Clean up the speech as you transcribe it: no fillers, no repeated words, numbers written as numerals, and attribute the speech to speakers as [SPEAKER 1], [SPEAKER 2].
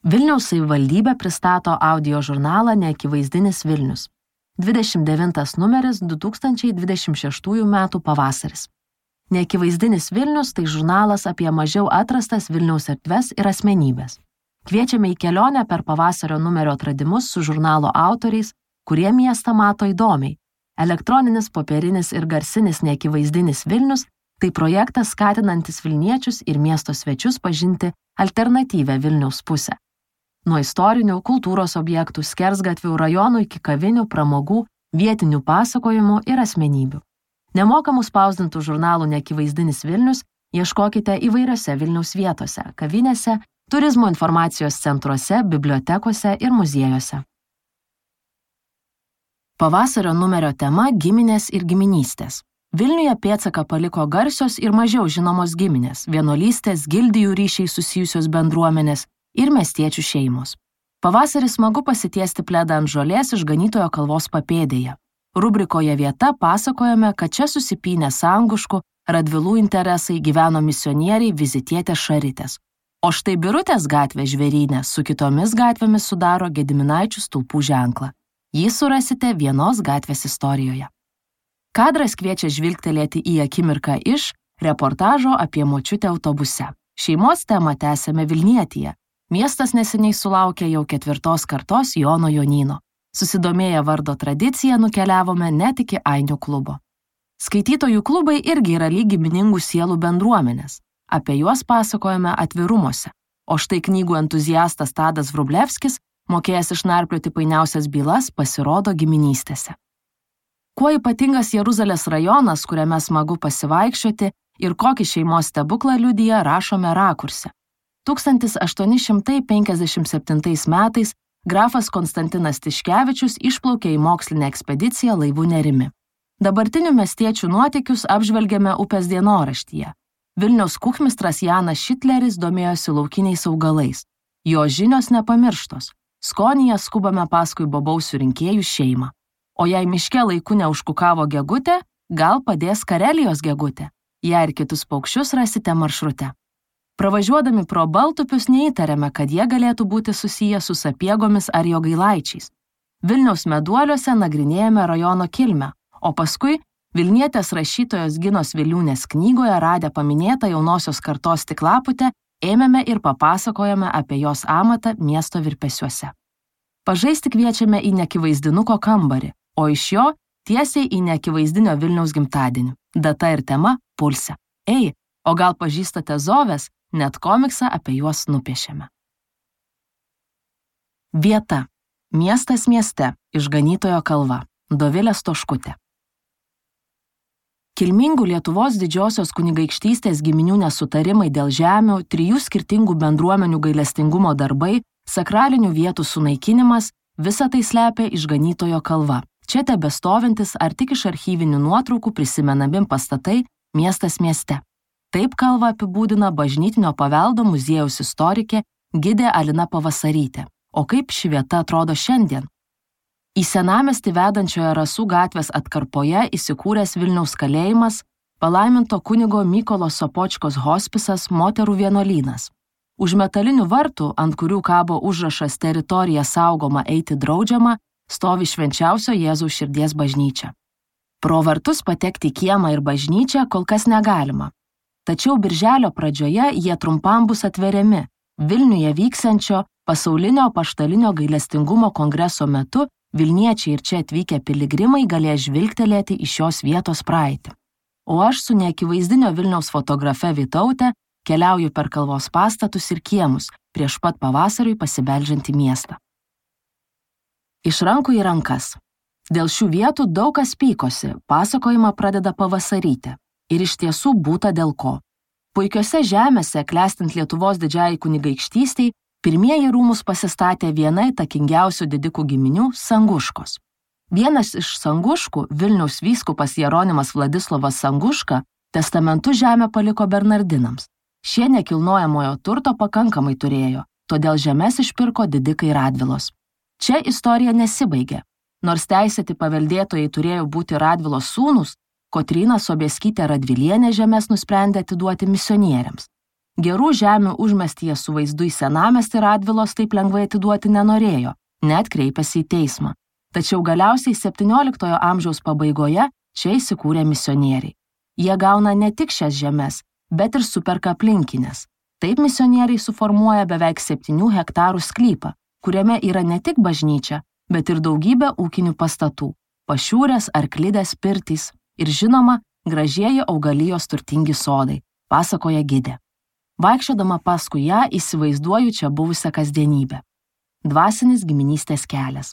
[SPEAKER 1] Vilniaus savivaldybė pristato audio žurnalą Neakivaizdinis Vilnius. 29 numeris 2026 metų pavasaris. Neakivaizdinis Vilnius tai žurnalas apie mažiau atrastas Vilniaus erdves ir asmenybės. Kviečiame į kelionę per pavasario numerio atradimus su žurnalo autoriais, kurie miestą mato įdomiai. Elektroninis, popierinis ir garsinis Neakivaizdinis Vilnius tai projektas skatinantis Vilniečius ir miesto svečius pažinti alternatyvę Vilniaus pusę. Nuo istorinių, kultūros objektų, skersgatvių, rajonų iki kavinių, pramogų, vietinių pasakojimų ir asmenybių. Nemokamų spausdintų žurnalų Neakivaizdinis Vilnius ieškokite įvairiose Vilniaus vietose, kavinėse, turizmo informacijos centruose, bibliotekose ir muziejuose. Pavasario numerio tema – giminės ir giminystės. Vilniuje pėdsaką paliko garsios ir mažiau žinomos giminės, vienuolystės, gildijų ryšiai susijusios bendruomenės ir miestiečių šeimos. Pavasarį smagu pasitiesti pledą ant žolės Išganytojo kalvos papėdėje. Rubrikoje Vieta pasakojame, kad čia susipynė Sanguškų, Radvilų interesai, gyveno misionieriai, vizitietės Šaritės. O štai Birutės gatvė Žvėryne su kitomis gatvėmis sudaro Gediminaičių stulpų ženklą. Jį surasite vienos gatvės istorijoje. Kadras kviečia žvilgtelėti į akimirką iš reportažo apie močiutę autobuse. Šeimos temą tęsėme Vilnietyje. Miestas neseniai sulaukė jau 4 kartos Jono Jonyno. Susidomėję vardo tradiciją nukeliavome net iki Ainių klubo. Skaitytojų klubai irgi yra lyg giminingų sielų bendruomenės. Apie juos pasakojame atvirumuose. O štai knygų entuziastas Tadas Vrublevskis, mokėjęs išnarplioti painiausias bylas, pasirodo giminystėse. Kuo ypatingas Jeruzalės rajonas, kuriame smagu pasivaikščioti ir kokį šeimos stebuklą liudija, rašome rakurse. 1857 metais grafas Konstantinas Tiškevičius išplaukė į mokslinę ekspediciją laivu Nerimi. Dabartinių miestiečių nuotykius apžvelgiame upės dienoraštyje. Vilniaus kuchmistras Janas Šitleris domėjosi laukiniais augalais. Jo žinios nepamirštos. Skonyje skubame paskui bobausių rinkėjų šeimą. O jei miške laiku neužkukavo gegutė, gal padės Karelijos gegutė. Ją ir kitus paukščius rasite maršrute. Pravažiuodami pro Baltupius neįtarėme, kad jie galėtų būti susiję su Sapiegomis ar Jogailaičiais. Vilniaus meduoliuose nagrinėjame rajono kilmę, o paskui Vilnietės rašytojos Ginos Viliūnės knygoje radę paminėtą jaunosios kartos tiklaputę, ėmėme ir papasakojame apie jos amatą miesto virpesiuose. Pažaisti kviečiame į Neakivaizdinuko kambarį, o iš jo tiesiai į Neakivaizdinio Vilniaus gimtadienį. Data ir tema – pulse. Ei, o gal pažįstate Zoves? Net komiksą apie juos nupiešėme. Vieta. Miestas mieste. Išganytojo kalva. Dovilė Stoškutė. Kilmingų Lietuvos didžiosios kunigaikštystės giminių nesutarimai dėl žemių, 3 skirtingų bendruomenių gailestingumo darbai, sakralinių vietų sunaikinimas – visa tai slepia Išganytojo kalva. Čia tebestovintis ar tik iš archyvinių nuotraukų prisimenami pastatai miestas mieste. Taip kalvą apibūdina bažnytinio paveldo muziejaus istorikė gidė Alina Pavasarytė. O kaip ši vieta atrodo šiandien? Į senamiestį vedančioje Rasų gatvės atkarpoje įsikūręs Vilniaus kalėjimas, palaiminto kunigo Mykolo Sopočkos hospisas moterų vienuolynas. Už metalinių vartų, ant kurių kabo užrašas teritorija saugoma eiti draudžiama, stovi švenčiausio Jėzaus širdies bažnyčia. Pro vartus patekti į kiemą ir bažnyčią kol kas negalima. Tačiau birželio pradžioje jie trumpam bus atveriami. Vilniuje vyksiančio pasaulinio apaštalinio gailestingumo kongreso metu Vilniečiai ir čia atvykę piligrimai galės žvilgtelėti į šios vietos praeitį. O aš su Neakivaizdinio Vilniaus fotografe Vytaute keliauju per kalvos pastatus ir kiemus, prieš pat pavasariui pasibeldžiant į miestą. Iš rankų į rankas. Dėl šių vietų daug kas pykosi, pasakojimą pradeda Pavasarytė. Ir iš tiesų būta dėl ko. Puikiose žemėse, klestint Lietuvos didžiajai kunigaikštystiai, pirmieji rūmus pasistatė viena įtakingiausių didikų giminių – Sanguškos. Vienas iš Sanguškų, Vilniaus vyskupas Jeronimas Vladislovas Sanguška, testamentu žemę paliko Bernardinams. Šie nekilnojamojo turto pakankamai turėjo, todėl žemes išpirko didikai Radvilos. Čia istorija nesibaigė. Nors teisėti paveldėtojai turėjo būti Radvilos sūnūs, Kotryna Sobieskytė Radvilienė žemes nusprendė atiduoti misionieriams. Gerų žemių užmestyje su vaizdu į senamiestį Radvilos taip lengvai atiduoti nenorėjo, net kreipėsi į teismą. Tačiau galiausiai 17 amžiaus pabaigoje čia įsikūrė misionieriai. Jie gauna ne tik šias žemes, bet ir superka aplinkinės. Taip misionieriai suformuoja beveik 7 hektarų sklypą, kuriame yra ne tik bažnyčia, bet ir daugybė ūkinių pastatų, pašiūrės, arklidės, pirtys ir žinoma, gražieji augalijos turtingi sodai, pasakoja gidė. Vaikščiodama paskui ją įsivaizduoju čia buvusią kasdienybę. Dvasinis giminystės kelias.